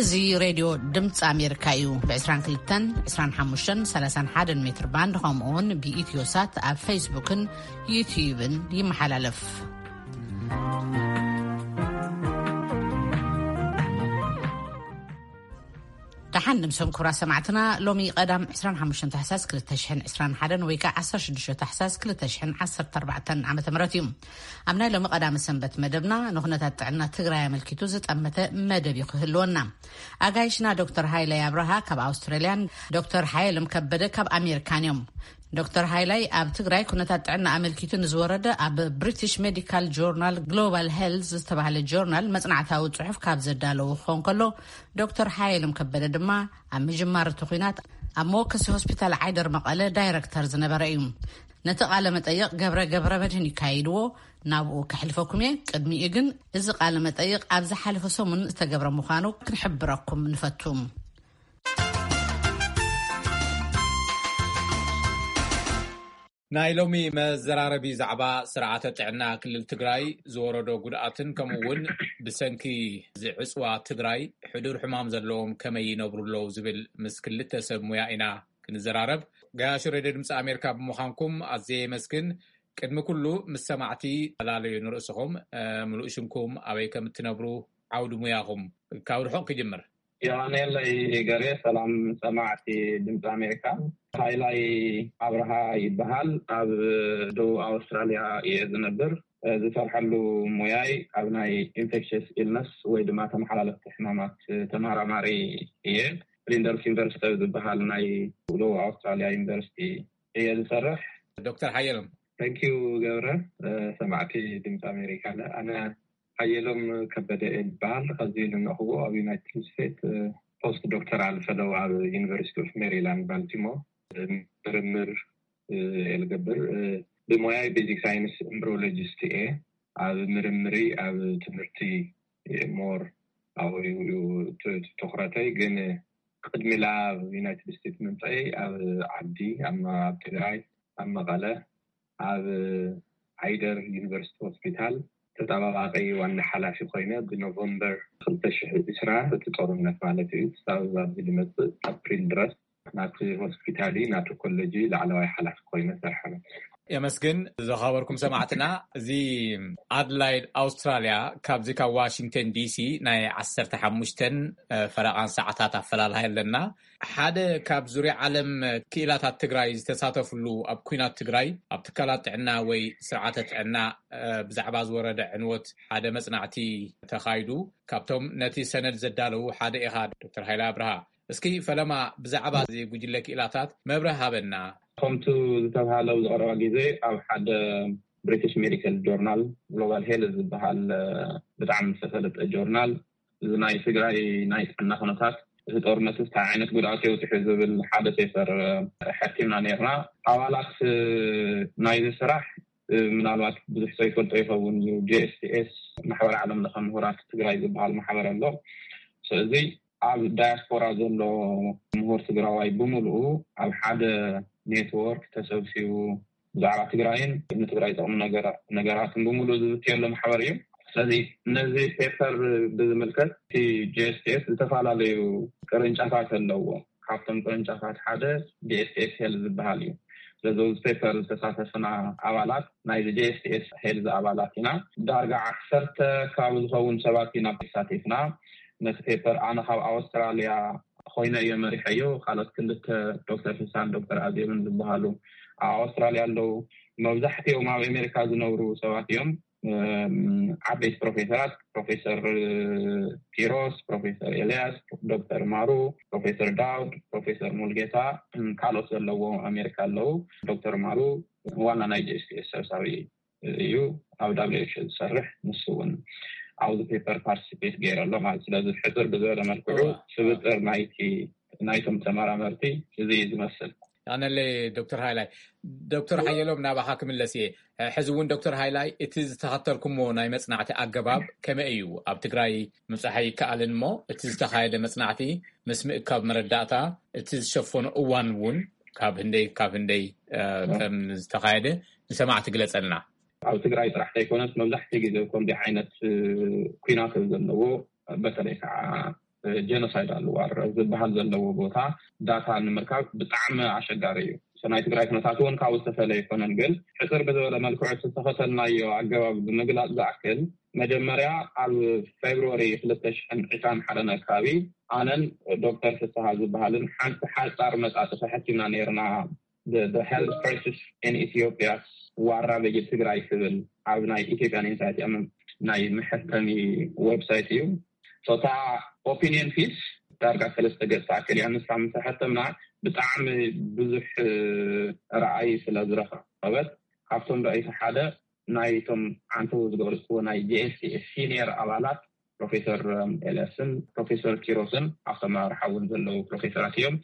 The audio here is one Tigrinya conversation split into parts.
እዚ ሬድዮ ድምፂ ኣሜሪካ እዩ። ብ22፣ 25፣ 31 ሜትር ባንድ፣ ከምኡ እውን ብኢትዮ ሳት ኣብ ፌስቡክን ዩትዩብን ይመሓላለፍ። ደሓን ንምሶም ክቡራት ሰማዕትና። ሎሚ ቀዳም 25 ታሕሳስ 2021 ወይ ከዓ 16 ታሕሳስ 2014 ዓ ም እዩ። ኣብ ናይ ሎሚ ቀዳመ ሰንበት መደብና ንኩነታት ጥዕና ትግራይ ኣመልኪቱ ዝጠመተ መደብ እዩ ክህልወና። ኣጋይሽና ዶክተር ሃይላይ ኣብርሃ ካብ ኣውስትራልያን ዶክተር ሓየሎም ከበደ ካብ ኣሜሪካን እዮም። ዶክተር ሃይላይ ኣብ ትግራይ ኩነታት ጥዕና ኣመልኪቱ ንዝወረደ ኣብ ብሪቲሽ ሜዲካል ጆርናል ግሎባል ሄልዝ ዝተባህለ ጆርናል መጽናዕታዊ ጽሑፍ ካብ ዘዳለዉ ክኾን ከሎ፣ ዶክተር ሓየሎም ከበደ ድማ ኣብ ምጅማር እቲ ኩናት ኣብ መወከሲ ሆስፒታል ዓይደር መቐለ ዳይረክተር ዝነበረ እዩ። ነቲ ቃለ መጠይቕ ገብረ ገብረ መድህን ይካይድዎ፣ ናብኡ ከሕልፈኩም እየ። ቅድሚኡ ግን እዚ ቃለ መጠይቕ ኣብ ዝሓለፈ ሰሙን ዝተገብረ ምዃኑ ክንሕብረኩም ንፈቱ። ናይ ሎሚ መዘራረቢ ዛዕባ ስርዓተ ጥዕና ክልል ትግራይ ዝወረዶ ጉድኣትን ከምኡ እውን ብሰንኪ ዝዕፅዋ ትግራይ ሕዱር ሕማም ዘለዎም ከመይ ይነብሩ ኣለዉ ዝብል ምስ ክልተ ሰብ ሙያ ኢና ክንዘራረብ። ገያሹ ሬድዮ ድምፂ ኣሜሪካ ብምዃንኩም ኣዝየ የመስግን። ቅድሚ ኩሉ ምስ ሰማዕቲ ተላለዩ ንርእስኹም፣ እ፣ ምሉእ ሽምኩም፣ ኣበይ ከም እትነብሩ፣ ዓውዲ ሙያኹም። ካብ ርሑቕ ክጅምር። የቐንየለይ ገሬ። ሰላም ሰማዕቲ ድምፂ ኣሜሪካ። ሃይላይ ኣብርሃ ይበሃል። ኣብ ደቡብ ኣውስትራልያ እየ ዝነብር። ዝሰርሐሉ ሙያይ ኣብ ናይ ኢንፌክሽስ ኢልነስ ወይ ድማ ተመሓላለፍቲ ሕማማት ተመራማሪ እየ። ፍሊንደርስ ዩኒቨርሲቲ ኣብ ዝበሃል ናይ ደቡብ ኣውስትራልያ ዩኒቨርሲቲ እየ ዝሰርሕ። ዶክተር ሓየሎም። ተንኪዩ ገብረ። ሰማዕቲ ድምፂ ኣሜሪካ፣ ኣነ ሓየሎም ከበደ እየ ዝበሃል። ከዚ ዝነኹዎ ኣብ ዩናይትድ ስቴትስ ፖስት ዶክተራል ፈለው ኣብ ዩኒቨርሲቲ ኦፍ ሜሪላንድ ባልቲሞር ምርምር እየ ዝገብር። ብሞያይ ቤዚክ ሳይንስ ኤምብሪዮሎጂስት እየ። ኣብ ምርምሪ ኣብ ትምህርቲ ሞር ኣብኡ እዩ ት-፣ ትኹረተይ። ግን ቅድሚ ላብ ዩናይትድ ስቴትስ ምምፀይ ኣብ ዓዲ፣ ኣብ መ-፣ ኣብ ትግራይ፣ ኣብ መቐለ፣ ኣብ ዓይደር ዩኒቨርሲቲ ሆስፒታል ተጠባባቂ ዋና ሓላፊ ኮይነ ብኖቨምበር 2020 እቲ ጦርነት ማለት እዩ፣ ክሳብ ኣብዚ ዝመፅእ ኣፕሪል ድረስ ናቲ ሆስፒታል፣ ናቲ ኮሌጅ ላዕለዋይ ሓላፊ ኮይነ ሰርሐ። የመስግን። ዝኸበርኩም ሰማዕትና፣ እዚ ኣድላይድ ኣውስትራልያ ካብዚ ካብ ዋሽንግተን ዲሲ ናይ 15 ፈረቓን ሰዓታት ኣፈላላይ ኣለና። ሓደ ካብ ዙርያ ዓለም ክኢላታት ትግራይ ዝተሳተፍሉ፣ ኣብ ኩናት ትግራይ ኣብ ትካላት ጥዕና ወይ ስርዓተ ጥዕና፣ እ፣ ብዛዕባ ዝወረደ ዕንወት ሓደ መጽናዕቲ ተኻይዱ። ካብቶም ነቲ ሰነድ ዘዳለዉ ሓደ ኢኻ ዶክተር ሃይለ ኣብርሃ። እስኪ ፈለማ ብዛዕባ እዚ ጉጅለ ክኢላታት መብርህ ሃበና። ከምቱ ዝተብሃለ ኣብ ዝቐረባ ግዜ ኣብ ሓደ ብሪቲሽ ሜዲካል ጆርናል ግሎባል ሄልዝ ዝበሃል፣ እ፣ ብጣዕሚ ዝተፈለጠ ጆርናል፣ እዚ ናይ ትግራይ ናይ ጥዕና ኩነታት፣ እቲ ጦርነት እንታይ ዓይነት ጉድኣት የውፅሑ ዝብል ሓደ ፔፐር፣ እ፣ ሓቲምና ነርና። ኣባላት፣ እ፣ ናይዚ ስራሕ፣ እ፣ ምናልባት ብዙሕ ሰው ይፈልጦ ይኸውን እዩ። ጂ ኤስ ቲ ኤስ፣ ማሕበር ዓለም ለኸ ምሁራት ትግራይ ዝበሃል ማሕበር ኣሎ። ስለዚ ኣብ ዳያስፖራ ዘሎ ምሁር ትግራዋይ ብምልኡ ኣብ ሓደ ኔትወርክ ተሰብሲቡ ብዛዕባ ትግራይን ንትግራይ ዝጠቕሙ ነገራ-፣ ነገራትን ብምልኡ ዝዝትየሉ ማሕበር እዩ። ስለዚ ነዚ ፔፐር ብዝምልከት እቲ ጂ ኤስ ቲ ኤስ ዝተፈላለዩ ቅርንጫፋት ኣለዎ። ካብቶም ቅርንጫፋት ሓደ ጂ ኤስ ቲ ኤስ ሄልዝ ዝበሃል እዩ። ስለዚ ኣብዚ ፔፐር ዝተሳተፍና ኣባላት ናይዚ ጂ ኤስ ቲ ኤስ ሄልዝ ኣባላት ኢና። ዳርጋ ዓሰርተ ከባቢ ዝኸውን ሰባት ኢና ተሳቲፍና። ነቲ ፔፐር ኣነ ካብ ኣውስትራልያ ኮይነ እየ መሪሐዮ። ካልኦት ክልተ፣ ዶክተር ፍሳን ዶክተር ኣዜብን ዝበሃሉ ኣብ ኣውስትራልያ ኣለዉ። መብዛሕትኦም ኣብ ኣሜሪካ ዝነብሩ ሰባት እዮም። እም፣ ዓበይቲ ፕሮፌሰራት፣ ፕሮፌሰር ኪሮስ፣ ፕሮፌሰር ኤልያስ፣ ዶክተር ማሩ፣ ፕሮፌሰር ዳውድ፣ ፕሮፌሰር ሙልጌታ፣ እም፣ ካልኦት ዘለዎ ኣሜሪካ ኣለዉ። ዶክተር ማሩ ዋና ናይ ጂ ኤስ ቲ ኤስ ሰብሳቢ እዩ፣ ኣብ ዳብሊው ኤች ኦ ዝሰርሕ፣ ንሱ እውን ኣብዚ ፔፐር ፓርቲሲፔት ገይረ ኣሎ ማለት። ስለዚ ሕፅር ብዝበለ መልክዑ እዋ። ስብጥር ናይቲ፣ ናይቶም ተመራመርቲ እዚ እዩ ዝመስል። ኣነለይ ዶክተር ሃይላይ። ዶክተር ሓየሎም፣ ናባኻ ክምለስ እየ። ሕዚ እውን ዶክተር ሃይላይ፣ እቲ ዝተኸተልኩሞ ናይ መጽናዕቲ ኣገባብ ከመይ እዩ? ኣብ ትግራይ ምብጻሕ ኣይከኣልን እሞ፣ እቲ ዝተኻየደ መጽናዕቲ ምስ ምእካብ መረዳእታ፣ እቲ ዝሸፈኖ እዋን እውን ካብ ህንደይ፣ ካብ ህንደይ፣ እ፣ እ። ከም ዝተኻየደ ንሰማዕቲ ግለጸልና። ኣብ ትግራይ ጥራሕ ዘይኮነስ፣ መብዛሕትኡ ግዜ ከምዚ ዓይነት፣ እ፣ ኲናት ዘለዎ፣ በተለይ ከዓ ጀኖሳይዳል ዋር ዝበሃል ዘለዎ ቦታ ዳታ ንምርካብ ብጣዕሚ ኣሸጋሪ እዩ። ናይ ትግራይ ኩነታት እውን ካብኡ ዝተፈለ ኣይኮነን። ግን ሕፅር ብዝበለ መልክዑ ዝተኸተልናዮ ኣገባብ ብምግላፅ ዝኣክል፣ መጀመርያ ኣብ ፌብርዋሪ ክልተ ሽሕን ዕስራን ሓደን ኣካባቢ ኣነን ዶክተር ፍስሃ ዝበሃልን ሓንቲ ሓፃር መጣጥፊ ሕቲምና ነይርና። The Health Crisis in Ethiopia፣ ዋራ በየ ትግራይ ትብል ኣብ ናይ ኢትዮጵያን ኢንሳይት ናይ መሐተሚ ዌብሳይት እዩ። እታ ኦፒኒየን ፒስ ዳርጋ ሰለስተ ገጽ ትኣክል እያ። ንሳ ምስ ሓተምና ብጣዕሚ ብዙሕ ረኣይ ስለ ዝረኸበት፣ ካብቶም ረኣይቲ ሓደ ናይቶም ዓንተው ዝገለፅዎ ናይ ጂ ኤስ ቲ ኤስ ሲኒየር ኣባላት ፕሮፌሰር ኤልያስን ፕሮፌሰር ኪሮስን ኣብቶም ኣመራርሓ እውን ዘለዉ ፕሮፌሰራት እዮም።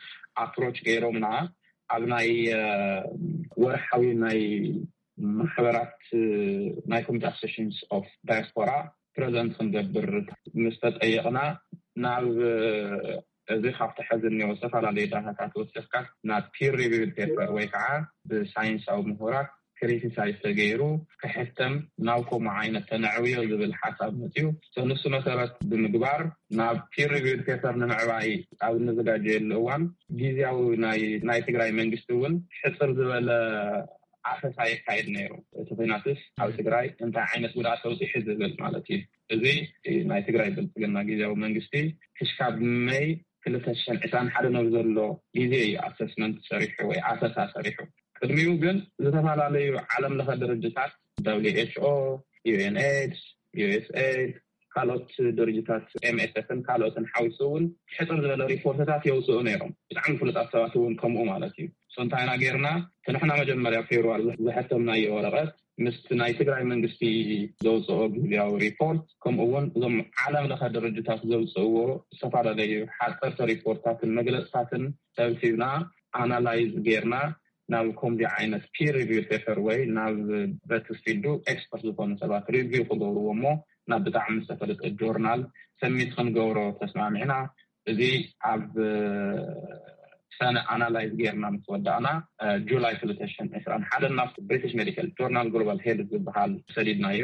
ኣፕሮች ገይሮምና ኣብ ናይ ወርሓዊ ናይ ማሕበራት ናይ ኮሚቴ ኣሶሲሽንስ ኦፍ ዳያስፖራ ፕረዘንት ክንገብር ምስ ተጠየቕና፣ ናብ እዚ ካብቲ ሕዚ እኒኦ ዝተፈላለዩ ዳታታት ወሲኽካ ናብ ፒር ሪቪውድ ፔፐር ወይ ከዓ ብሳይንሳዊ ምሁራት ክሪቲሳይዝ ተገይሩ ክሕተም ናብ ከምኡ ዓይነት ተነዕብዮ ዝብል ሓሳብ መፅዩ። ንሱ መሰረት ብምግባር ናብ ፒር ሪቪውድ ፔፐር ንምዕባይ ኣብ እንዘጋጀየሉ እዋን፣ ግዜያዊ ናይ ትግራይ መንግስቲ እውን ሕፅር ዝበለ ኣፈሳ የካየድ ነይሩ። እቲ ኩናትስ ኣብ ትግራይ እንታይ ዓይነት ጉድኣት ተውፅሒ ዝብል ማለት እዩ። እዚ ናይ ትግራይ ብልፅግና ግዜያዊ መንግስቲ ክሽካብ መይ ክልተ ሽሕን ዕስራን ሓደ ነብ ዘሎ ግዜ እዩ ኣሰስመንት ሰሪሑ ወይ ኣፈሳ ሰሪሑ። ቅድሚኡ ግን ዝተፈላለዩ ዓለም ለኸ ድርጅታት ደብሊው ኤች ኦ፣ ዩ ኤን ኤድስ፣ ዩ ኤስ ኤድ፣ ካልኦት ድርጅታት ኤም ኤስ ኤፍን ካልኦትን ሓዊሱ እውን ሕፅር ዝበለ ሪፖርትታት የውፅኡ ነይሮም። ብጣዕሚ ፍሉጣት ሰባት እውን ከምኡ ማለት እዩ። ሶ እንታይ ኢና ጌርና? እቲ ንሕና መጀመርያ ፌብርዋሪ ዝሐተምናዮ ወረቐት ምስቲ ናይ ትግራይ መንግስቲ ዘውፅኦ ግዜያዊ ሪፖርት፣ ከምኡ እውን እዞም ዓለም ለኸ ድርጅታት ዘውፅእዎ ዝተፈላለዩ ሓፀርቲ ሪፖርታትን መግለፅታትን ሰብሲብና ኣናላይዝ ጌርና ናብ ከምዚ ዓይነት ፒር ሪቪው ፔፐር ወይ ናብ በቲ ፊልዱ ኤክስፐርት ዝኾኑ ሰባት ሪቪው ክገብርዎ እሞ ናብ ብጣዕሚ ዝተፈለጠ ጆርናል ሰሚት ክንገብሮ ተስማሚዕና። እዚ ኣብ ሰነ ኣናላይዝ ጌርና ምስ ወዳእና፣ ጁላይ ክልተ ሽሕን ዕስራን ሓደን ናብ ብሪቲሽ ሜዲካል ጆርናል ግሎባል ሄልት ዝበሃል ሰዲድናዮ።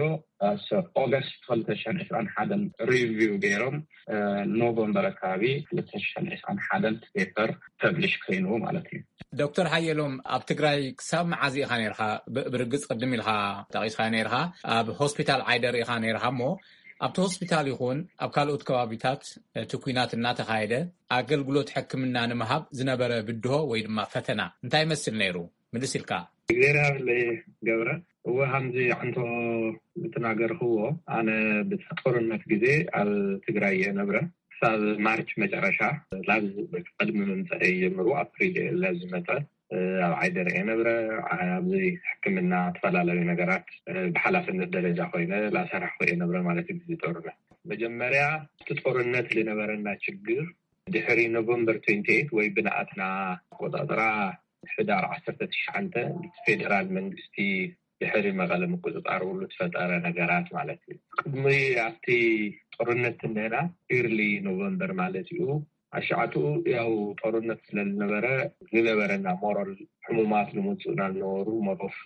ኦገስት ክልተ ሽሕን ዕስራን ሓደን ሪቪው ገይሮም ኖቨምበር ኣካባቢ ክልተ ሽሕን ዕስራን ሓደን ፔፐር ፐብሊሽ ኮይኑ ማለት እዩ። ዶክተር ሓየሎም፣ ኣብ ትግራይ ክሳብ መዓዝ ኢኻ ነርካ? ብርግፅ ቅድም ኢልካ ጠቂስካ ነርካ፣ ኣብ ሆስፒታል ዓይደር ኢኻ ነርካ። እሞ ኣብቲ ሆስፒታል ይኹን ኣብ ካልኦት ከባቢታት እቲ ኩናት እናተኻየደ ኣገልግሎት ሕክምና ንምሃብ ዝነበረ ብድሆ ወይ ድማ ፈተና እንታይ ይመስል ነይሩ? ምልስ ኢልካ። እግዚኣብሔር ገብረ፣ እወ፣ ከምዚ ዓንቶ ዝተናገርክዎ፣ ኣነ ብቲ ጦርነት ግዜ ኣብ ትግራይ እየ ነብረ። ክሳብ ማርች መጨረሻ፣ ላብ ቅድሚ ምምፀእ ጀምሩ፣ ኣፕሪል ለዝመፀ ኣብ ዓይደር እየ ነብረ። ኣብዚ ሕክምና ዝተፈላለዩ ነገራት ብሓላፍነት ደረጃ ኮይነ ላሰራሕኩ እየ ነብረ ማለት እዩ። ብዚ ጦርነት መጀመርያ እቲ ጦርነት ዝነበረና ችግር ድሕሪ ኖቨምበር ትዌንቲ ኤይት ወይ ብንኣትና ኣቆፃፅራ ሕዳር ዓሰርተ ትሽዓተ ፌደራል መንግስቲ ድሕሪ መቐለ ምቁፅፃር ውሉ ዝፈጠረ ነገራት ማለት እዩ። ቅድሚ ኣብቲ ጦርነት እንሄና ኢርሊ ኖቨምበር ማለት እዩ። ኣሻዓትኡ ያው ጦርነት ስለዝነበረ ዝነበረና ሞራል ሕሙማት ዝመፁና ዝነበሩ መሮፍ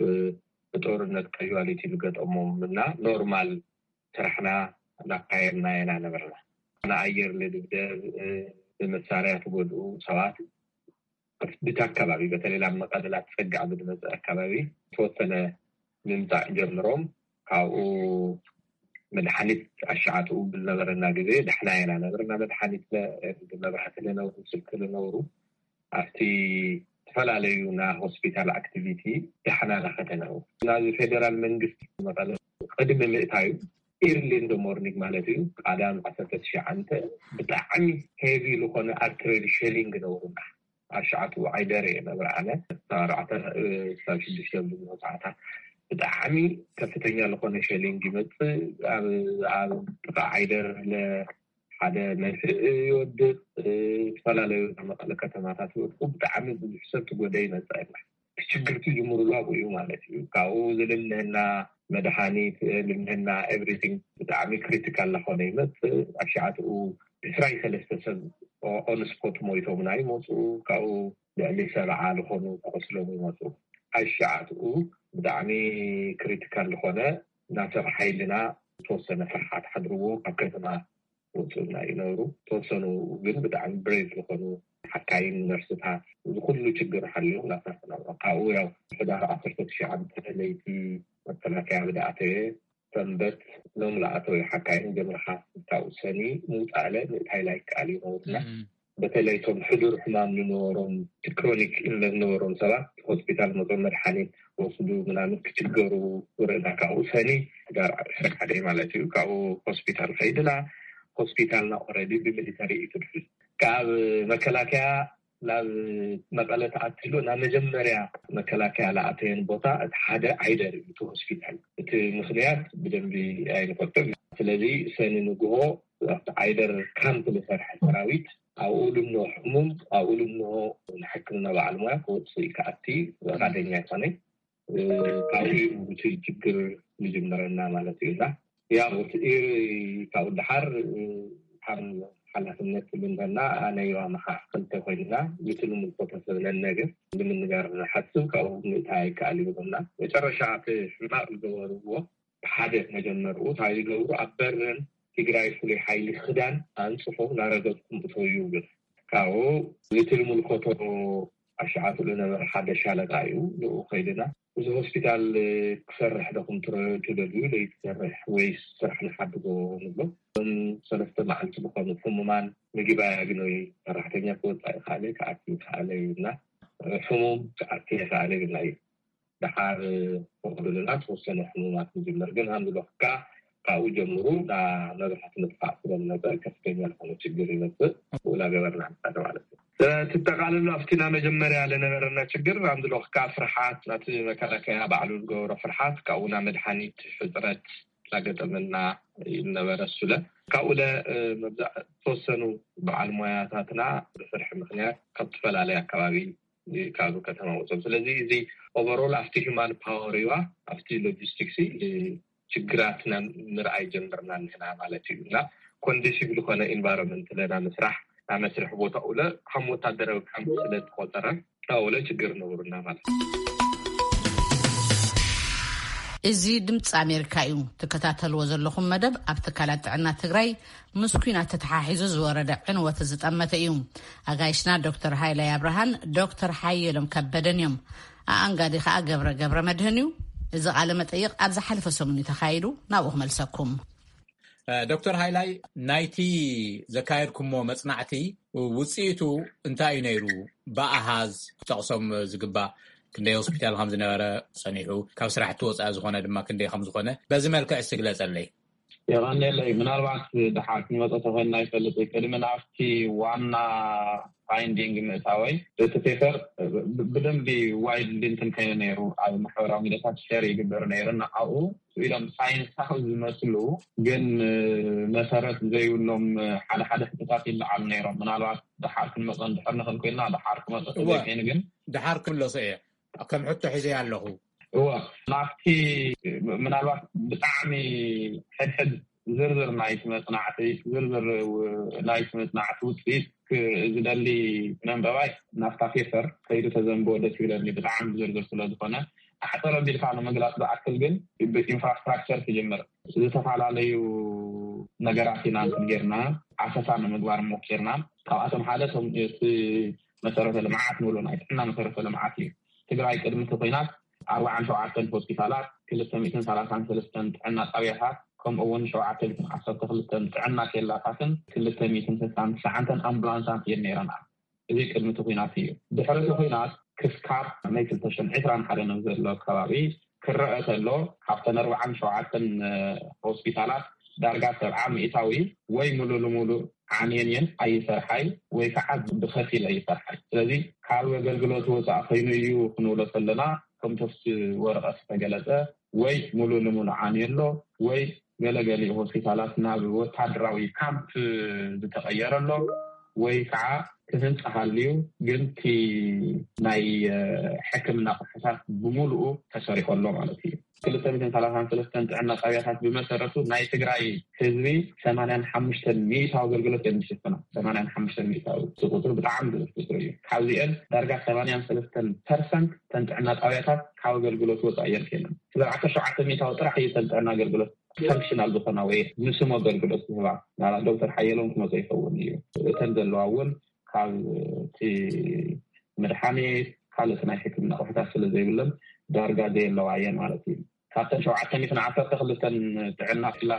ብጦርነት ካዥዋሊቲ ዝገጠሞም እና ኖርማል ስራሕና እናካየድና ኢና ነበርና። ንኣየር ልድብደብ፣ ብመሳርያ ትጎድኡ ሰባት ብቲ ኣካባቢ በተለይ ናብ መቐለ ላተፀግዕ ብዝመፅእ ኣካባቢ ተወሰነ ምምፃእ ጀምሮም ካብኡ መድሓኒት ኣሻዓትኡ ብዝነበረና ግዜ ዳሕና ኢና ነበርና። መድሓኒት መብራህቲ ዝነብሩ ስልኪ ዝነብሩ ኣብቲ ዝተፈላለዩ ናይ ሆስፒታል ኣክቲቪቲ ዳሕና ናኸተነው ናዚ ፌደራል መንግስቲ መቐለ ቅድሚ ምእታዩ ኢርሊ እንደ ሞርኒንግ ማለት እዩ። ቃዳም ዓሰርተ ትሽዓተ ብጣዕሚ ሄቪ ዝኾነ ኣርትሬሪ ሸሊንግ ነውሩና። ኣብ ሸዓቱ ዓይደር እየ ነብረ ኣነ ካብ ኣርባዕተ ክሳብ ሽዱሽተ ብዙ ሰዓታት ብጣዕሚ ከፍተኛ ዝኾነ ሸሊንግ ይመፅእ። ኣብ ጥቃ ዓይደር ሓደ መንስእ ይወድቅ፣ ዝተፈላለዩ መቐለ ከተማታት ይወድቁ። ብጣዕሚ ብዙሕ ሰብ ትጎደ ይመፅእ። ችግርቲ ጅምሩሉ ኣብኡ እዩ ማለት እዩ። ካብኡ ዝልምህና መድሃኒት ልምህና ኤቭሪቲንግ ብጣዕሚ ክሪቲካል ለኾነ ይመፅእ። ኣብ ሸዓትኡ ዕስራይ ሰለስተ ሰብ ኦንስፖት ሞይቶምና ይመፁ። ካብኡ ልዕሊ ሰብዓ ዝኾኑ ተቆስሎም ይመፁ። ኣብ ሸዓትኡ ብጣዕሚ ክሪቲካል ዝኾነ ናሰብ ሓይልና ዝተወሰነ ፍርሓት ሓድርዎ ካብ ከተማ ወፅኡና ይነብሩ። ተወሰኑ ግን ብጣዕሚ ብሬቭ ዝኾኑ ሓካይም፣ ነርስታት፣ እዚ ኩሉ ችግር ሓሊዮም ናብታ ሰላም። ካብኡ ያው ሕዳር ዓሰርተ ትሽዓተ ለይቲ መከላከያ ብደኣተየ ሰንበት ሎም ለኣተወ ሓካይም ጀምርካ ክሳብ ሰኒ ምውፃእለ ምእታይ ላይ ከኣል ይነብርና። በተለይ እቶም ሕዱር ሕማም ዝነበሮም፣ ክሮኒክ ኢልነስ ዝነበሮም ሰባት ሆስፒታል መጾም መድሓኒት ወስዱ ምናምን ክችገሩ ወረዳ ካብኡ ሰኒ ሕዳር ዕስራን ሓደን ማለት እዩ። ካብኡ ሆስፒታል ከይድና፣ ሆስፒታልና ኦረዲ ብሚሊተሪ እዩ ትድሕል። ካብ መከላከያ ናብ መቐለ ተኣትሉ ናብ መጀመርያ መከላከያ ለኣተየን ቦታ እቲ ሓደ ዓይደር እዩ እቲ ሆስፒታል። እቲ ምኽንያት ብደንቢ ኣይንፈልጦን። ስለዚ ሰኒ ንግሆ ኣብቲ ዓይደር ካምፕ ዝሰርሐ ሰራዊት ኣብኡ ልኖ ሕሙም ኣብኡ ልኖ ንሕክምና በዓል ሞያ ክወፅእ ክኣቲ ፈቃደኛ ኣይኮነን። ካብኡ እቲ ችግር ዝጅመረና ማለት እዩ። እና ያው እቲ ካብኡ ደሓር ከም ሓላፍነት ልንበና ኣነ ዮሃ መሓ ክልተ ኮይንና፣ እቲ ንምልኮቶ ሰብ ነነግር ንምንጋር ንሓስብ፣ ካብኡ ምእታይ ኣይከኣል ይብሉና። መጨረሻ እቲ ሕማቅ ዝገበርዎ ሓደ መጀመርኡ እንታይ ዝገብሩ፣ ኣብ በረን ትግራይ ፍሉይ ሓይሊ ክዳን ኣንጽፎ ናረገጽኩም እተው ይብሉ። ካብኡ እቲ ልምልኮቶ ኣሸዓትሉ ነበረ ሓደ ሻለቃ እዩ። ንኡ ከይድና፣ እዚ ሆስፒታል ክሰርሕ ዶኹም ትረ-፣ ትደልዩ፣ ለይትሰርሕ ወይስ ስራሕ ንሓድጎ ንብሎ። እዞም ሰለስተ መዓልቲ ዝኾኑ ሕሙማን ምግቢ ኣያግነዩ፣ ሰራሕተኛ ክወፃእ ይኸኣለ፣ ክኣቲ ይኸኣለ ይብልና። ሕሙም ክኣቲ ይኸኣለ ይብልና እዩ። ደሓር ፈቕዱልና ተወሰነ ሕሙማት ንጅምር። ግን ሃምዝበኽካ ካብኡ ጀምሩ ና መብራህቲ ምጥፋእ ስለዝመፀ ከፍተኛ ዝኾነ ችግር ይመፅእ። ብኡ እናገበርና ንኸደ ማለት እዩ። ስለዚ ትጠቓልሉ ኣብቲ ና መጀመርያ ለነበረና ችግር ሃምዝበኽካ ፍርሓት፣ ናቲ መከላከያ ባዕሉ ዝገበሮ ፍርሓት፣ ካብኡ ና መድሓኒት ሕፅረት ላገጠመና ይነበረ ሱለ። ካብኡ ለ መብዛዕ ተወሰኑ በዓል ሞያታትና ብፍርሒ ምኽንያት ካብ ዝተፈላለዩ ኣካባቢ ካብ ከተማ ወፅኦም። ስለዚ እዚ ኦቨሮል ኣብቲ ሂማን ፓወር ይዋ ኣብቲ ሎጂስቲክስ ችግራትና ምርኣይ ጀምርና ንሕና ማለት እዩ። እና ኮንዲሲቭ ዝኾነ ኢንቫይሮንመንት ለና ምስራሕ ናብ መስርሕ ቦታ ኡለ ከም ወታደራዊ ካምፕ ስለ ዝቆፀረ ኣውለ ችግር ነብሩና ማለት እዩ። እዚ ድምፂ ኣሜሪካ እዩ። ትከታተልዎ ዘለኹም መደብ ኣብ ትካላት ጥዕና ትግራይ ምስ ኲናት ተተሓሒዙ ዝወረደ ዕንወት ዝጠመተ እዩ። ኣጋይሽና ዶክተር ሃይላይ ኣብርሃን ዶክተር ሓየሎም ከበደን እዮም። ኣኣንጋዲ ከኣ ገብረ ገብረ መድህን እዩ። እዚ ቃለ መጠይቕ ኣብ ዝሓለፈ ሰሙን እዩ ተኻይዱ። ናብኡ ክመልሰኩም። ዶክተር ሃይላይ፣ ናይቲ ዘካየድኩሞ መጽናዕቲ ውጽኢቱ እንታይ እዩ ነይሩ? ብኣሃዝ ክጠቕሶም ዝግባእ ክንደይ ሆስፒታል ከም ዝነበረ ጸኒሑ፣ ካብ ስራሕ እትወፅኣ ዝኾነ ድማ ክንደይ ከም ዝኾነ በዚ መልክዕ እስቲ ግለጸለይ። የቐንየለይ። ምናልባት ድሓር ክንመፀ ተኮይንና ይፈልጥ እዩ። ቅድሚ ናብቲ ዋና ፋይንዲንግ ምእታወይ እቲ ፔፐር ብደንቢ ዋይድሊ እንትን ከይኑ ነይሩ፣ ኣብ ማሕበራዊ ሚዲያታት ሸር ይግበር ነይሩ። ንዓኡ ኢሎም ሳይንሳዊ ዝመስሉ ግን መሰረት ዘይብሎም ሓደ ሓደ ሕቶታት ይለዓሉ ነይሮም። ምናልባት ድሓር ክንመፀ እንድሕር ንኽእል ኮይንና ድሓር ክመፀ ተዘይኮይኑ ግን ድሓር ክምለሶ እየ ከም ሕቶ ሒዘ ኣለኹ። እወ ናብቲ ምናልባት ብጣዕሚ ሕድሕድ ዝርዝር ናይቲ መፅናዕቲ ዝርዝር ናይቲ መፅናዕቲ ውፅኢት ዝደሊ መንበባይ ናብታ ፔፐር ከይዱ ተዘንብቦ ደስ ይብለኒ፣ ብጣዕሚ ዝርዝር ስለዝኾነ። ኣሕፅር ኣቢልካ ንምግላፅ ዝኣክል ግን ብኢንፍራስትራክቸር ክጅምር ዝተፈላለዩ ነገራት ኢና እንትን ጌርና ኣሰሳ ንምግባር ሞኪርና። ካብኣቶም ሓደ እቶም እቲ መሰረተ ልምዓት ንብሎ ናይ ጥዕና መሰረተ ልምዓት እዩ። ትግራይ ቅድሚ እቲ ኲናት ኣርባዓን ሸውዓተን ሆስፒታላት፣ ክልተ ሚእትን ሰላሳን ሰለስተን ጥዕና ጣብያታት፣ ከምኡ እውን ሸውዓተ ሚእትን ዓሰርተ ክልተን ጥዕና ኬላታትን ክልተ ሚእትን ስሳን ትሽዓተን ኣምቡላንሳት እየን ነይረና። እዚ ቅድሚ እቲ ኲናት እዩ። ድሕሪ እቲ ኲናት ክስካብ ናይ ክልተ ሽሕን ዕስራን ሓደን ኣብ ዘሎ ከባቢ ክረአ ተሎ ካብተን ኣርባዓን ሸውዓተን ሆስፒታላት ዳርጋ ሰብዓ ሚእታዊ ወይ ሙሉ ልሙሉ ዓንየን እየን ኣይሰርሓይ ወይ ከዓ ብኸፊል ኣይሰርሓይ። ስለዚ ካብ ኣገልግሎት ወፃእ ኮይኑ እዩ ክንብሎ ከለና ከምቶፍቲ ወረቐት ዝተገለፀ ወይ ሙሉ ልሙሉ ዓንዩ ኣሎ ወይ ገለገሊኡ ሆስፒታላት ናብ ወታደራዊ ካምፕ ዝተቐየረ ኣሎ ወይ ከዓ ክህንፃ ሃልዩ ግን እቲ ናይ ሕክምና ቁሕታት ብሙሉኡ ተሰሪሑ ኣሎ ማለት እዩ። ክልተ ሚእትን ሰላሳን ሰለስተን ጥዕና ጣብያታት ብመሰረቱ ናይ ትግራይ ህዝቢ ሰማንያን ሓሙሽተን ሚእታዊ ኣገልግሎት እዮም ዝሽፍና። ሰማንያን ሓሙሽተን ሚእታዊ እቲ ቁፅሪ ብጣዕሚ ብዙሕ ቁፅሪ እዩ። ካብዚአን ዳርጋ ሰማንያን ሰለስተን ፐርሰንት ተን ጥዕና ጣብያታት ካብ ኣገልግሎት ወፃኢ እየን ኮይነን። ስለዚ ዓሰርተ ሸውዓተ ሚእታዊ ጥራሕ እዩ ተን ጥዕና ኣገልግሎት ፈንክሽናል ዝኾና ወይ ንስም ኣገልግሎት ዝህባ ናላ ዶክተር ሓየሎም ክመፀ ይኸውን እዩ። እተን ዘለዋ እውን ካብ እቲ መድሓኒት ካልኦት ናይ ሕክምና ኣቑሑታት ስለ ዘይብለን ዳርጋ ዘየለዋ እየን ማለት እዩ። ካብተን ሸውዓተ ሚእትን ዓሰርተ ክልተን ጥዕና ክላ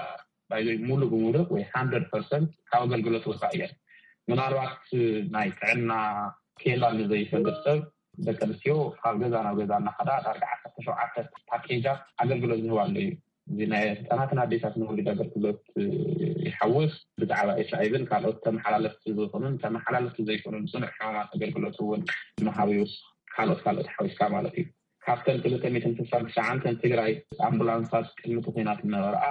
ባይዘይ ሙሉ ብሙሉ ወይ ሓንድረድ ፐርሰንት ካብ ኣገልግሎት ወፃእ እየን። ምናልባት ናይ ጥዕና ኬላ ንዘይፈልጥ ሰብ ደቂ ኣንስትዮ ካብ ገዛ ናብ ገዛ እናኸዳ ዳርጋ ዓሰርተ ሸውዓተ ፓኬጃት ኣገልግሎት ዝህባ ኣሎ እዩ። እዚ ናይ ህፃናትን ኣዴታት ንወሊድ ኣገልግሎት ይሓውስ። ብዛዕባ ኤች ኣይቪን ካልኦት ተመሓላለፍቲ ዝኾኑን ተመሓላለፍቲ ዘይኮኑን ፅኑዕ ሕማማት ኣገልግሎት እውን ምሃብ ይውስኽ። ካልኦት ካልኦት ሓዊስካ ማለት እዩ። ካብተን ክልተ ሚእትን ስሳን ትሽዓንተን ትግራይ ኣምቡላንሳት ቅድሚ እቲ ኲናት ዝነበርኣ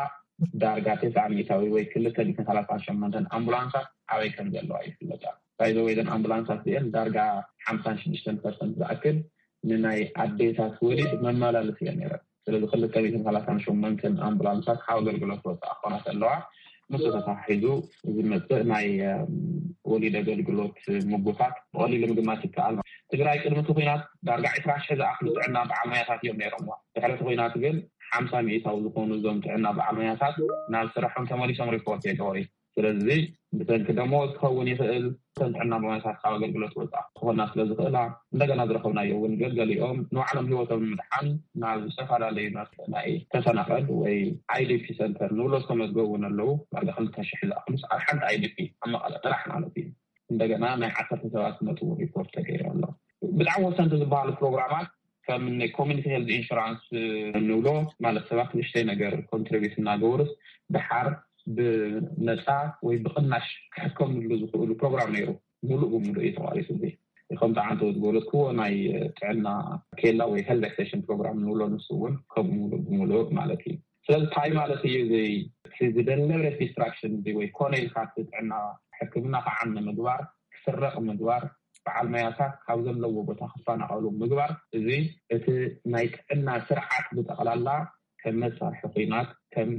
ዳርጋ ተስዓ ሚእታዊ ወይ ክልተ ሚእትን ሰላሳን ሸሞንተን ኣምቡላንሳት ኣበይ ከም ዘለዋ ይፍለጣ። ባይዘወይ ዘን ኣምቡላንሳት እዚአን ዳርጋ ሓምሳን ሽዱሽተን ፐርሰንት ዝኣክል ንናይ ኣዴታት ወሊድ መመላለሲ እየን ነይረን። ስለዚ ክልተ ሚእትን ሰላሳን ሸሞንተን ኣምቡላንሳት ካብ ኣገልግሎት ወፃእ ክኾና ከለዋ ምስ ተተሓሒዙ ዝመፅእ ናይ ወሊድ ኣገልግሎት ምጉታት ብቐሊሉ ምግማት ይከኣል። ትግራይ ቅድሚ እቲ ኲናት ዳርጋ ዕስራ ሽሕ ዝኣኽሉ ጥዕና በዓል ሞያታት እዮም ነይሮምዋ። ድሕሪ እቲ ኲናት ግን ሓምሳ ሚእታዊ ዝኾኑ እዞም ጥዕና በዓል ሞያታት ናብ ስርሖም ተመሊሶም ሪፖርት የገበሩ። ስለዚ ብሰንኪ ደሞዝ ክኸውን ይኽእል፣ እተን ጥዕና በዓል ሞያታት ካብ ኣገልግሎት ወፃእ ክኾና ስለ ዝኽእላ እንደገና ዝረኸብናዮ እውን ገሊኦም ንባዕሎም ህይወቶም ንምድሓን ናብ ዝተፈላለዩ ናይ ተፈናቐል ወይ ኣይዲፒ ሰንተር ንብሎ ዝተመዝገቡ እውን ኣለዉ። ዳርጋ ክልተ ሽሕ ዝኣኽሉ ኣብ ሓንቲ ኣይዲፒ ኣብ መቐለ ጥራሕ ማለት እዩ። እንደገና ናይ ዓሰርተ ሰባት መጥቡ ሪፖርት ተገይሩ ኣሎ። ብጣዕሚ ወሰንቲ ዝበሃሉ ፕሮግራማት ከም ኮሚኒቲ ሄልዝ ኢንሹራንስ እንብሎ ማለት ሰባት ንእሽተይ ነገር ኮንትሪቢዩት እናገበሩስ ደሓር ብነፃ ወይ ብቕናሽ ክሕከምሉ ዝኽእሉ ፕሮግራም ነይሩ። ሙሉእ ብሙሉእ እዩ ተቋሪፁ። እዚ ከምቲ ዓንተው ዝበለትክዎ ናይ ጥዕና ኬላ ወይ ሄልዝ ኤክስቴንሽን ፕሮግራም ንብሎ ንሱ እውን ከምኡ ሙሉእ ብሙሉእ ማለት እዩ። ስለዚ እንታይ ማለት እዩ? እዚ ዝደለብሬት ዲስትራክሽን እዚ ወይ ኮነ ኢልካ እቲ ጥዕና ሕክምና ክዓኒ ምግባር፣ ክስረቕ ምግባር፣ በዓል መያታት ካብ ዘለዎ ቦታ ክፈናቐሉ ምግባር፣ እዚ እቲ ናይ ጥዕና ስርዓት ብጠቕላላ ከም መሳርሒ ኲናት ከም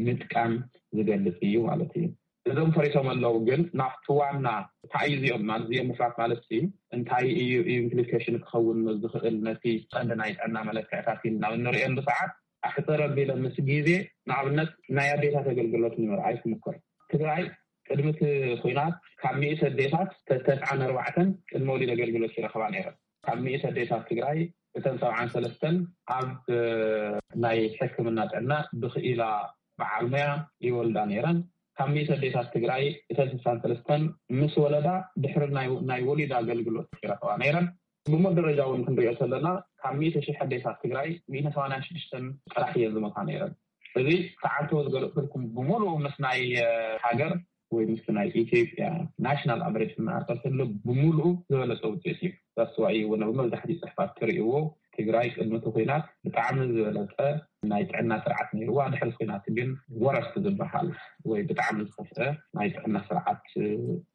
ምጥቃም ዝገልጽ እዩ ማለት እዩ። እዞም ፈሪሶም ኣለዉ፣ ግን ናብቲ ዋና እንታይ እዩ እዚኦም ማለት እዚኦም ምፍራት ማለት ሲ እንታይ እዩ ኢምፕሊኬሽን ክኸውን ዝኽእል ነቲ ቀንዲ ናይ ጥዕና መለክዕታት ኢልና እንርእየሉ ሰዓት ኣሕፅር ኣቢለ ምስ ግዜ ንኣብነት ናይ ኣዴታት ኣገልግሎት ንምርኣይ ክምኮር። ትግራይ ቅድሚ እቲ ኹናት ካብ ሚእቲ ኣዴታት ተስዓን ኣርባዕተን ቅድመ ወሊድ ኣገልግሎት ይረኽባ ነይረን። ካብ ሚእቲ ኣዴታት ትግራይ እተን ሰብዓን ሰለስተን ኣብ ናይ ሕክምና ጥዕና ብኽኢላ በዓል ሞያ ይወልዳ ነይረን። ካብ ሚእቲ ኣዴታት ትግራይ እተን ስሳን ሰለስተን ምስ ወለዳ ድሕሪ ናይ ወሊድ ኣገልግሎት ይረኽባ ነይረን። ብሞት ደረጃ እውን ክንሪኦ ከለና ካብ ሚእቲ ሽሕ ኣዴታት ትግራይ ሚእቲ ሰማንያን ሽዱሽተን ጥራሕ እየን ዝሞታ ነይረን። እዚ ተዓንተዎ ዝገለፅልኩም ብምሉኡ ምስ ናይ ሃገር ወይ ምስ ናይ ኢትዮጵያ ናሽናል ኣቨሬጅ እናኣርቀልክሉ ብምሉኡ ዝበለፀ ውፅኢት እዩ። ዛስዋይ እውን ኣብ መብዛሕትኡ ፅሕፋት ትርእይዎ ትግራይ ቅድሚ እቲ ኹናት ብጣዕሚ ዝበለፀ ናይ ጥዕና ስርዓት ነይርዋ። ድሕሪ ኹናት ግን ወረስት ዝበሃል ወይ ብጣዕሚ ዝኸፍአ ናይ ጥዕና ስርዓት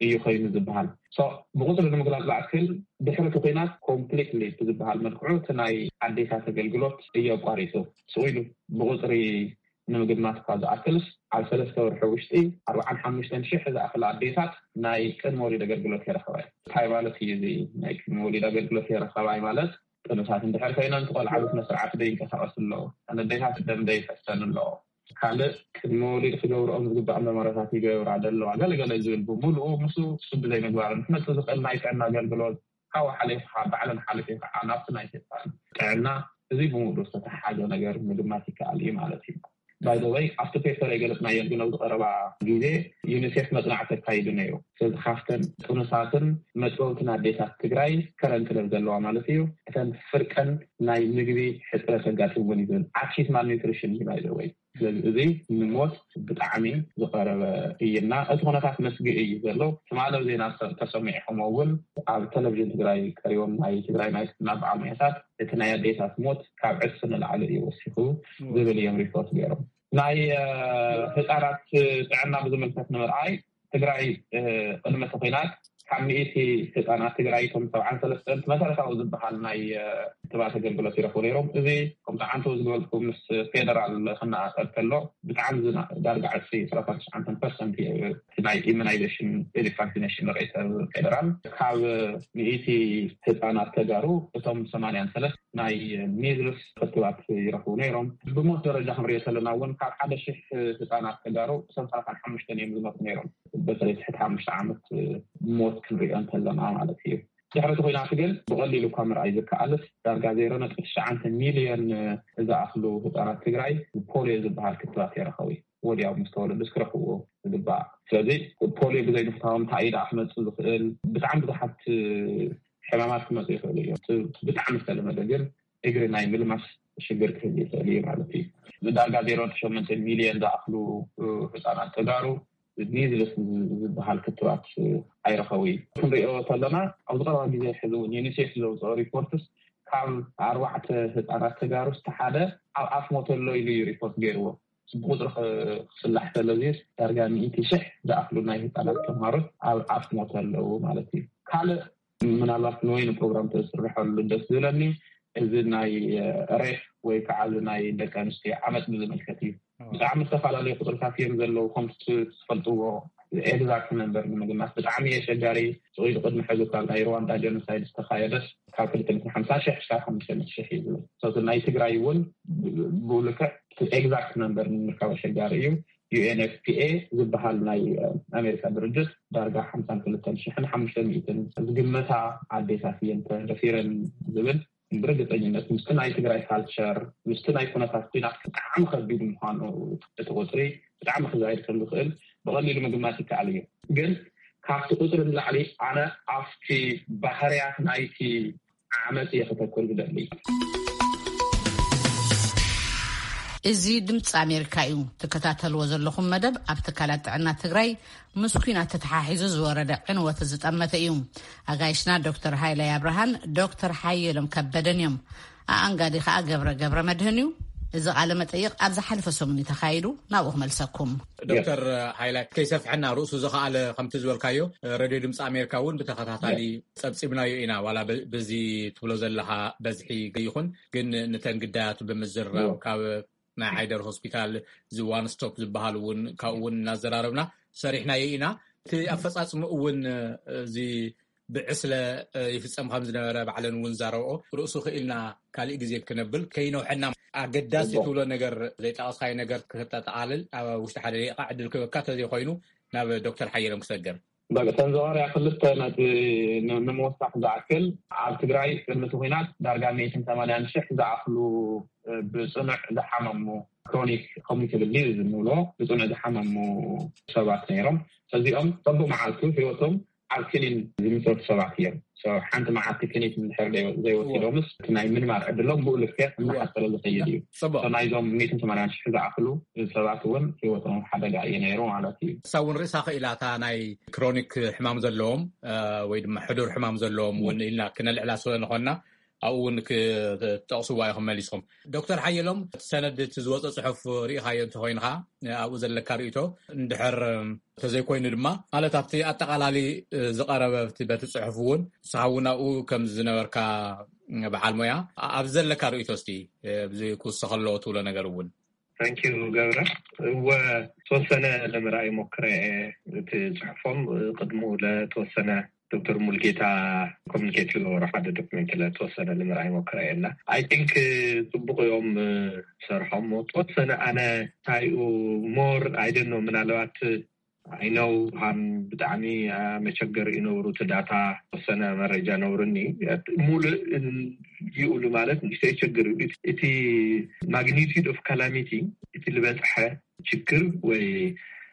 እዩ ኮይኑ ዝበሃል። ብቁፅሪ ንምግላፅ ዝኣክል ድሕሪ እቲ ኹናት ኮምፕሊትሊ ብዝበሃል መልክዑ እቲ ናይ ኣዴታት ኣገልግሎት እዩ ኣቋሪፁ። ስቕ ኢሉ ብቁፅሪ ንምግማት እኳ ዝኣክልስ ኣብ ሰለስተ ወርሒ ውሽጢ ኣርባዓን ሓሙሽተን ሽሕ ዝኣክል ኣዴታት ናይ ቅድሚ ወሊድ ኣገልግሎት የረኸባይ። እንታይ ማለት እዩ እዚ ናይ ቅድሚ ወሊድ ኣገልግሎት የረኸባይ ማለት? ጥኑሳት እንድሕር ኮይነን እቲ ቆልዓ ብስነ ስርዓት ደይንቀሳቀስ ኣለዎ። ኣደታት ደም ደይፈሰን ኣለዎ። ካልእ ቅድሚ ወሊድ ክገብርኦም ዝግባእ መመረታት ይገብራ ደለዋ ገለገለ ዝብል ብምሉኡ ምስ ስብ ዘይምግባርን ክመፅእ ዝኽእል ናይ ጥዕና ኣገልግሎት ካብኡ ሓሊፉ ከዓ ባዕለን ሓሊፉ ከዓ ናብቲ ናይ ሴጣን ጥዕና እዚ ብምሉኡ ዝተተሓሓዘ ነገር ምግማት ይከኣል እዩ ማለት እዩ። ባይዘወይ ኣብቲ ፔፐር የገለፅናዮ ግን ኣብዚ ቀረባ ግዜ ዩኒሴፍ መፅናዕቲ ኣካይዱ ነይሩ። ስለዚ ካብተን ጥኑሳትን መጥበውትን ኣዴታት ትግራይ ከረን ክለብ ዘለዋ ማለት እዩ እተን ፍርቀን ናይ ምግቢ ሕፅረት ኣጋጢምወን እዩ ዝብል ኣኪት ማልኒትሪሽን እዩ ባይዘወይ። ስለዚ እዚ ንሞት ብጣዕሚ ዝቀረበ እይና እቲ ኩነታት መስግእ እዩ ዘሎ። ትማሊ ዜና ተሰሚዕኹም እውን ኣብ ቴሌቪዥን ትግራይ ቀሪቦም ናይ ትግራይ ናይ ናብ ዓመታት እቲ ናይ ኣዴታት ሞት ካብ ዕፅፊ ንላዕሊ እዩ ወሲኹ ዝብል እዮም ሪፖርት ገይሮም። ናይ ህፃናት ጥዕና ብዝምልከት ንምርኣይ ትግራይ ቅድሚ እቲ ኩናት ካብ ሚእቲ ህፃናት ትግራይ እቶም ሰብዓን ሰለስተን መሰረታዊ ዝበሃል ናይ ክትባት ኣገልግሎት ይረኽቡ ነይሮም። እዚ ከምቲ ዓንተው ዝገበልኩ ምስ ፌደራል ክነኣጸር ከሎ ብጣዕሚ ዝና- ዳርጋ ዕስሪ ዕስራን ትሽዓተን ፐርሰንት እዩ እቲ ናይ ኢሚናይዜሽን ቫክሲኔሽን ሬት ፌደራል ካብ ሚእቲ ህፃናት ተጋሩ እቶም ሰማንያን ሰለስተ ናይ ሚዝልስ ክትባት ይረኽቡ ነይሮም። ብሞት ደረጃ ክንሪኦ ከለና እውን ካብ ሓደ ሽሕ ህፃናት ተጋሩ ሰላሳን ሓሙሽተን እዮም ዝሞቱ ነይሮም። በተለይ ትሕቲ ሓሙሽተ ዓመት ሞት ክንሪኦ እንተለና ማለት እዩ። ድሕሪ እቲ ኩናት ግን ብቐሊሉ እኳ ምርኣይ ዝከኣልስ ዳርጋ ዜሮ ነጥቢ ትሽዓተ ሚልዮን ዝኣኽሉ ህፃናት ትግራይ ፖሊዮ ዝበሃል ክትባት የረኸቡ ወዲያው ምስ ተወለዱስ ክረኽብዎ ዝግባእ። ስለዚ ፖሊዮ ብዘይ ምፍታዎም እንታይ እዩ ደኣ ክመፅእ ዝኽእል? ብጣዕሚ ብዙሓት ሕማማት ክመፁ ይኽእሉ እዮም። እቲ ብጣዕሚ ዝተለመደ ግን እግሪ ናይ ምልማስ ሽግር ክህል ይኽእል እዩ ማለት እዩ። ዳርጋ ዜሮ ነጥቢ ሸሞንተ ሚልዮን ዝኣኽሉ ህፃናት ተጋሩ ሚዝልስ ዝበሃል ክትባት ኣይረኸቡ እዩ። ክንሪኦ ከለና ኣብዚ ቀረባ ግዜ ሕዚ እውን ዩኒሴፍ ዘውፅኦ ሪፖርትስ ካብ ኣርባዕተ ህፃናት ተጋሩ ዝተሓደ ኣብ ኣፍ ሞተ ኣሎ ኢሉ እዩ ሪፖርት ገይርዎ። ብቁፅሪ ክፍላሕ ከሎ ዳርጋ ሚእቲ ሽሕ ዝኣኽሉ ናይ ህፃናት ተምሃሮት ኣብ ኣፍ ሞተ ኣለዉ ማለት እዩ። ካልእ ምናልባት ንወይኒ ፕሮግራም ተስርሐሉ ደስ ዝብለኒ እዚ ናይ ሬፍ ወይ ከዓ እዚ ናይ ደቂ ኣንስትዮ ዓመፅ ብዝምልከት እዩ። ብጣዕሚ ዝተፈላለዩ ቁፅርታት እዮም ዘለዉ። ከምቲ ትፈልጥዎ ኤግዛክት ነምበር ንምግማት ብጣዕሚ ኣሸጋሪ እዩ። ኢሉ ቅድሚ ሕዚ ካብ ናይ ሩዋንዳ ጀኖሳይድ ዝተኻየደስ ካብ ክልተ ሚእትን ሓምሳን ሽሕ ክሳብ ሓሙሽተ ሚእቲ ሽሕ እዩ ዝብል። እቲ ናይ ትግራይ እውን ብኡ ልክዕ ኤግዛክት ነምበር ንምርካብ ኣሸጋሪ እዩ። ዩ ኤን ኤፍ ፒ ኤ ዝበሃል ናይ ኣሜሪካ ድርጅት ዳርጋ ሓምሳን ክልተን ሽሕን ሓሙሽተ ሚእትን ዝግመታ ኣዴታት እየን ተደፊረን ዝብል ብርግፀኝነት ምስቲ ናይ ትግራይ ካልቸር ምስቲ ናይ ኩነታት ኩናት ብጣዕሚ ከቢድ ምዃኑ እቲ ቁፅሪ ብጣዕሚ ክዛይድ ከም ዝኽእል ብቐሊሉ ምግማት ይከኣል እዩ። ግን ካብቲ ቁፅሪ ንላዕሊ ኣነ ኣብቲ ባህርያት ናይቲ ዓመፅ እየ ክተኩር ዝደሊ። እዚ ድምፂ ኣሜሪካ እዩ። ትከታተልዎ ዘለኹም መደብ ኣብ ትካላት ጥዕና ትግራይ ምስ ኩናት ተተሓሒዙ ዝወረደ ዕንወት ዝጠመተ እዩ። ኣጋይሽና ዶክተር ሃይላይ ኣብርሃን ዶክተር ሓየሎም ከበደን እዮም። ኣኣንጋዲ ከዓ ገብረ ገብረ መድህን እዩ። እዚ ቃለ መጠይቕ ኣብ ዝሓለፈ ሰሙን እዩ ተኻይዱ። ናብኡ ክመልሰኩም። ዶክተር ሃይላይ ከይሰፍሐና ርእሱ ዝኸኣለ ከምቲ ዝበልካዮ ሬድዮ ድምፂ ኣሜሪካ እውን ብተኸታታሊ ፀብፂብናዮ ኢና። ዋላ በዚ ትብሎ ዘለኻ በዝሒ ይኹን ግን ንተን ግዳያቱ ብምዝራብ ካብ ናይ ዓይደር ሆስፒታል እዚ ዋን ስቶፕ ዝበሃል እውን ካብኡ እውን እናዘራረብና ሰሪሕናዮ ኢና። እቲ ኣፈፃፅምኡ እውን እዚ ብዕስለ ይፍፀም ከም ዝነበረ ባዕለን እውን ዛረብኦ ርእሱ ክኢልና ካሊእ ግዜ ክነብል ከይነውሐና ኣገዳሲ ትብሎ ነገር ዘይጠቐስካዮ ነገር ክተጠቓልል ኣብ ውሽጢ ሓደ ደቂቃ ዕድል ክበካ ተዘይኮይኑ ናብ ዶክተር ሓየሎም ክሰግር። በቂ ተን ዝቐርያ ክልተ ነቲ ንምውሳኽ ዝኣክል ኣብ ትግራይ ቅድሚ እቲ ኩናት ዳርጋ ሚእትን ሰማንያን ሽሕ ዝኣኽሉ ብፅኑዕ ዝሓመሙ ክሮኒክ ኮሚኒኬብል ዲዚዝ እንብሎ ብፅኑዕ ዝሓመሙ ሰባት ነይሮም። እዚኦም በብመዓልቱ ህይወቶም ኣብ ክኒን ዝምሰቱ ሰባት እዮም። ሓንቲ መዓልቲ ክኒን እንድሕር ዘይወሲዶምስ እቲ ናይ ምንባር ዕድሎም ብኡ ልክዕ እናሓሰረ ዝኸይድ እዩ። ናይዞም ሚእትን ሰማንያን ሽሕ ዝኣኽሉ ሰባት እውን ህይወቶም ኣብ ሓደጋ እዩ ነይሩ ማለት እዩ። እሳ እውን ርእሳ ክኢላ እታ ናይ ክሮኒክ ሕማም ዘለዎም ወይ ድማ ሕዱር ሕማም ዘለዎም እውን ኢልና ክነልዕላ ስለ ዝኾንና ኣብኡ እውን ክጠቕስዋ ኢኹም መሊስኹም። ዶክተር ሓየሎም እቲ ሰነድ እቲ ዝወፀ ፅሑፍ ርኢኻዮ እንተኮይንኻ ኣብኡ ዘለካ ርእይቶ እንድሕር እንተዘይኮይኑ ድማ ማለት ኣብቲ ኣጠቓላሊ ዝቐረበ በቲ ፅሑፍ እውን ንስኻ እውን ኣብኡ ከም ዝነበርካ በዓል ሞያ ኣብ ዘለካ ርእይቶ እስቲ ብዚ ክውሰኸ ኣለዎ ትብሎ ነገር እውን። ታንኪዩ ገብረ። እወ ተወሰነ ለምርኣይ ሞክረ እየ። እቲ ፅሑፎም ቅድሙ ለተወሰነ ዶክተር ሙልጌታ ኮሚኒኬት ዝገበሮ ሓደ ዶክመንት ለተወሰነ ንምርኣይ ሞክረ እየ እና ኣይ ቲንክ ፅቡቅ እዮም ሰርሖም። ተወሰነ ኣነ ታይኡ ሞር ኣይደኖ ምናልባት ኣይነው ሃም ብጣዕሚ መቸገር ይነብሩ እቲ ዳታ ተወሰነ መረጃ ነብሩኒ ሙሉእ ይኡሉ ማለት ንሽተይ ችግር እዩ። እቲ ማግኒቲድ ኦፍ ካላሚቲ እቲ ዝበፅሐ ችግር ወይ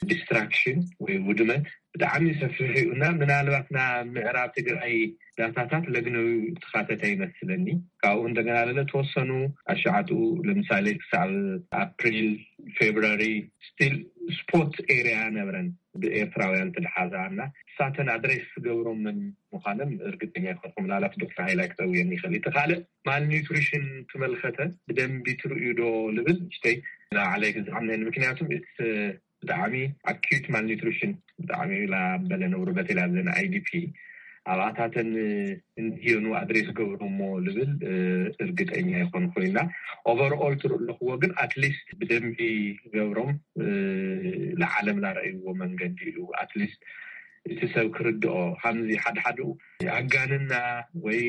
ዲስትራክሽን ወይ ውድመት ብጣዕሚ ሰፊሕ እዩ እና ምናልባት ና ምዕራብ ትግራይ ዳታታት ለግነዊ ተኻተተ ይመስለኒ። ካብኡ እንደገና ለለ ተወሰኑ ኣሻዓጡ ለምሳሌ ክሳብ ኣፕሪል ፌብራሪ ስቲል ስፖት ኤሪያ ነበረን ብኤርትራውያን ትድሓዛ እና እሳተን ኣድሬስ ዝገብሮም ምን ምዃንም እርግጠኛ ይኮንኩ። ምናልባት ዶክተር ሃይላይ ክጠውየኒ ይኽእል። እቲ ካልእ ማልኒትሪሽን ትመልከተ ብደንቢ ትርእዩ ዶ ልብል ሽተይ ንባዕለይ ክዝዓም ነኒ ምክንያቱም ብጣዕሚ ኣኪዩት ማልኒትሪሽን ብጣዕሚ ላ በለ ነብሩ በቴላ ዘን ኣይ ዲ ፒ ኣብኣታተን እንድዮኑ ኣድሬስ ገብሮሞ ልብል እርግጠኛ ይኾን ኮይና። ኦቨርኦል ትርኢ ኣለኽዎ ግን ኣትሊስት ብደንቢ ገብሮም ለዓለም ላረእይዎ መንገዲ እዩ። ኣትሊስት እቲ ሰብ ክርድኦ። ከምዚ ሓደ ሓደኡ ኣጋንና ወይ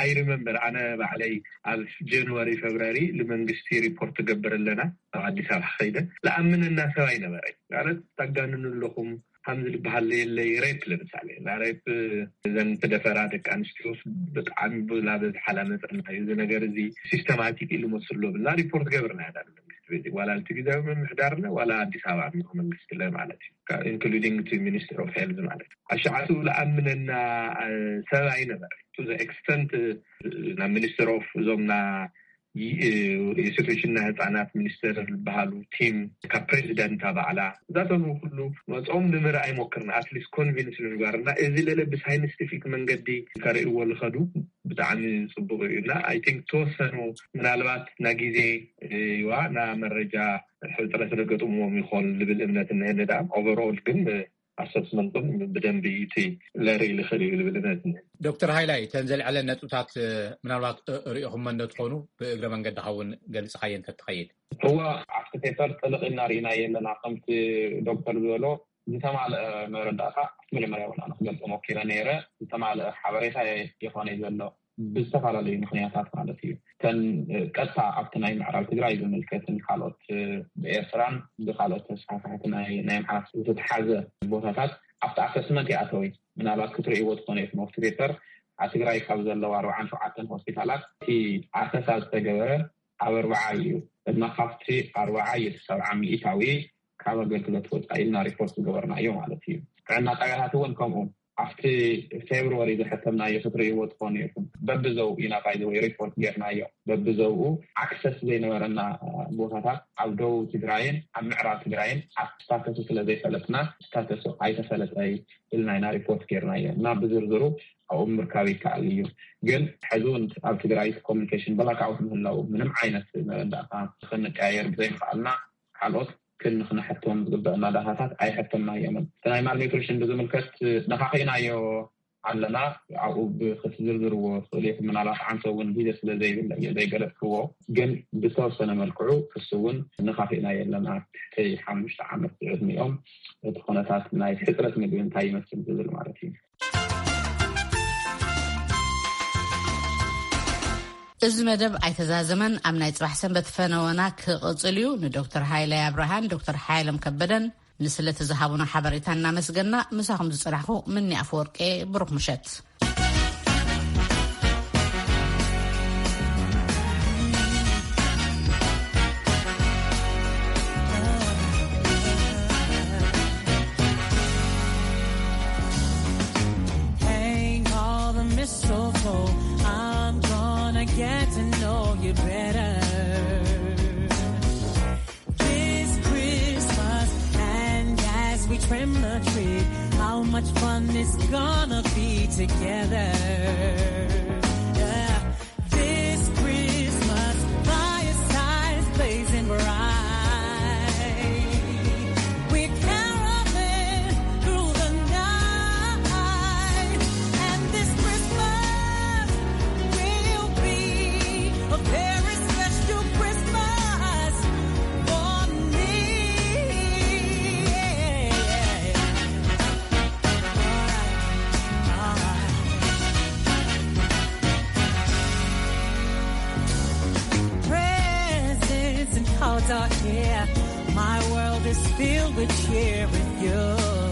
ኣይሪመምበር ኣነ ባዕለይ ኣብ ጀንዋሪ ፌብራሪ ንመንግስቲ ሪፖርት ትገብር ኣለና ኣብ ኣዲስ ኣበባ ከይደ ለኣምነና ሰብ ኣይነበረኝ። ማለት ታጋንኑ ኣለኹም ከምዚ ዝበሃል የለይ። ሬፕ ለምሳሌ እና ሬፕ እዘን ተደፈራ ደቂ ኣንስትዮ ብጣዕሚ ብላበዝሓላ መፀና እዩ። እዚ ነገር እዚ ሲስተማቲክ ኢሉ መስሎ ብልና ሪፖርት ገብርና ያዳ መንግስቲ ቤት ዋላ እቲ ግዜያዊ ምምሕዳርና ዋላ ኣዲስ ኣበባ ቢሮ መንግስቲ ለ ማለት እዩ። ኢንክሉዲንግ እቲ ሚኒስትር ኦፍ ሄልዝ ማለት እዩ። ኣሻዓቱ ለኣምነና ሰብ ኣይነበረ። ቱ ኤክስተንት ናብ ሚኒስትር ኦፍ እዞምና የሴቶችና ህፃናት ሚኒስትር ዝበሃሉ ቲም ካብ ፕሬዚደንት ባዕላ እዛቶም ኩሉ መፅኦም ንምርኣይ ሞክርና ኣትሊስት ኮንቪንስ ንምግባር እና እዚ ለለ ብሳይንስቲፊክ መንገዲ ከርእይዎ ዝኸዱ ብጣዕሚ ፅቡቅ እዩ እና ኣይ ቲንክ ተወሰኑ ምናልባት ና ግዜ ዋ ና መረጃ ሕፅረት ዘገጥምዎም ይኾን ዝብል እምነት እነሀኒ ደኣ ኦቨርኦል ግን ኣሰስመንቶም ብደንቢ እቲ ለርኢ ዝኽእል እዩ ዝብል እምነት እኒሀ። ዶክተር ሃይላይ እተን ዘልዐለን ነጥብታት ምናልባት ርኢኹመ እንደትኾኑ ብእግረ መንገድኻ እውን ገልፅኻዮ እንተትኸይድ። እወ ኣብቲ ፔፐር ጥልቕ ኢልና ርኢናዮ ኣለና። ከምቲ ዶክተር ዝበሎ ዝተማልአ መረዳእታ ኣብቲ መጀመርያ እውን ኣነ ክገልፆ ሞኪረ ነይረ። ዝተማልአ ሓበሬታ የኾነ ዘሎ ብዝተፈላለዩ ምኽንያታት ማለት እዩ። እተን ቀጥታ ኣብቲ ናይ ምዕራብ ትግራይ ዝምልከትን ካልኦት ብኤርትራን ብካልኦት ተስፋሕፍሕቲ ናይ ናይ ኣምሓራ ዝተተሓዘ ቦታታት ኣብቲ ኣሰስመንት ይኣተው እዩ። ምናልባት ክትርእይዎ ትኾነ ኢኹም ኣብቲ ፔፐር ኣብ ትግራይ ካብ ዘለዉ ኣርባዓን ሸውዓተን ሆስፒታላት እቲ ኣሰሳ ዝተገበረ ኣብ ኣርባዓ እዩ። እና ካብቲ ኣርባዓ እዩ እቲ ሰብዓ ሚእታዊ ካብ ኣገልግሎት ወፃኢ ኢልና ሪፖርት ዝገበርናዮ ማለት እዩ። ጥዕና ጣብያታት እውን ከምኡ ኣብቲ ፌብርዋሪ ዝሐተምናዮ ክትርእይዎ ትኾኑ ኢኹም። በብዘው ኢና ባይዘወይ ሪፖርት ጌርናዮ። በብዘውኡ ኣክሰስ ዘይነበረና ቦታታት ኣብ ደቡብ ትግራይን ኣብ ምዕራብ ትግራይን ኣብ ስታተሱ ስለ ዘይፈለጥና ስታተሱ ኣይተፈለጠይ ኢልና ኢና ሪፖርት ጌርናዮ እና ብዝርዝሩ ኣብኡ ምርካብ ይከኣል እዩ። ግን ሕዚ እውን ኣብ ትግራይ ኮሚኒኬሽን ብላክኣውት ምህላው ምንም ዓይነት መረዳእታ ክንቀያየር ብዘይምኽኣልና ካልኦት ክንክነሐቶም ዝግበአና ዳታታት ኣይሐተምናዮምን። እቲ ናይ ማልኒትሪሽን ብዝምልከት ነኻኺእናዮ ኣለና። ኣብኡ ብክትዝርዝርዎ ትኽእሉ ኢኹም። ምናልባት ዓንተ እውን ግዜ ስለ ዘይብለ እየ ዘይገለጽክዎ። ግን ብዝተወሰነ መልክዑ ክሱ እውን ነኻኺእናዮ ኣለና። ትሕቲ ሓሙሽተ ዓመት ዝዕድሚኦም እቲ ኩነታት ናይ ሕፅረት ምግቢ እንታይ ይመስል ዝብል ማለት እዩ። እዚ መደብ ኣይተዛዘመን። ኣብ ናይ ጽባሕ ሰንበት ፈነወና ክቕጽል እዩ። ንዶክተር ሃይለ ኣብርሃን ዶክተር ሓይሎም ከበደን ንስለ ተዝሃቡና ሓበሬታ እናመስገና ምሳኹም ዝጸናሕኩ ምኒ ኣፈወርቄ። ብሩኽ ምሸት። Hang all the mistletoe. I'm gonna get to know you better this Christmas. And as we trim the tree, how much fun it's gonna be together. Yeah. This Christmas, fireside is blazing bright. We're caroling through the night. And this Christmas will be a very special Christmas for me. Yeah. All right. All right. Presents and cards are here. My world is filled with cheer with you.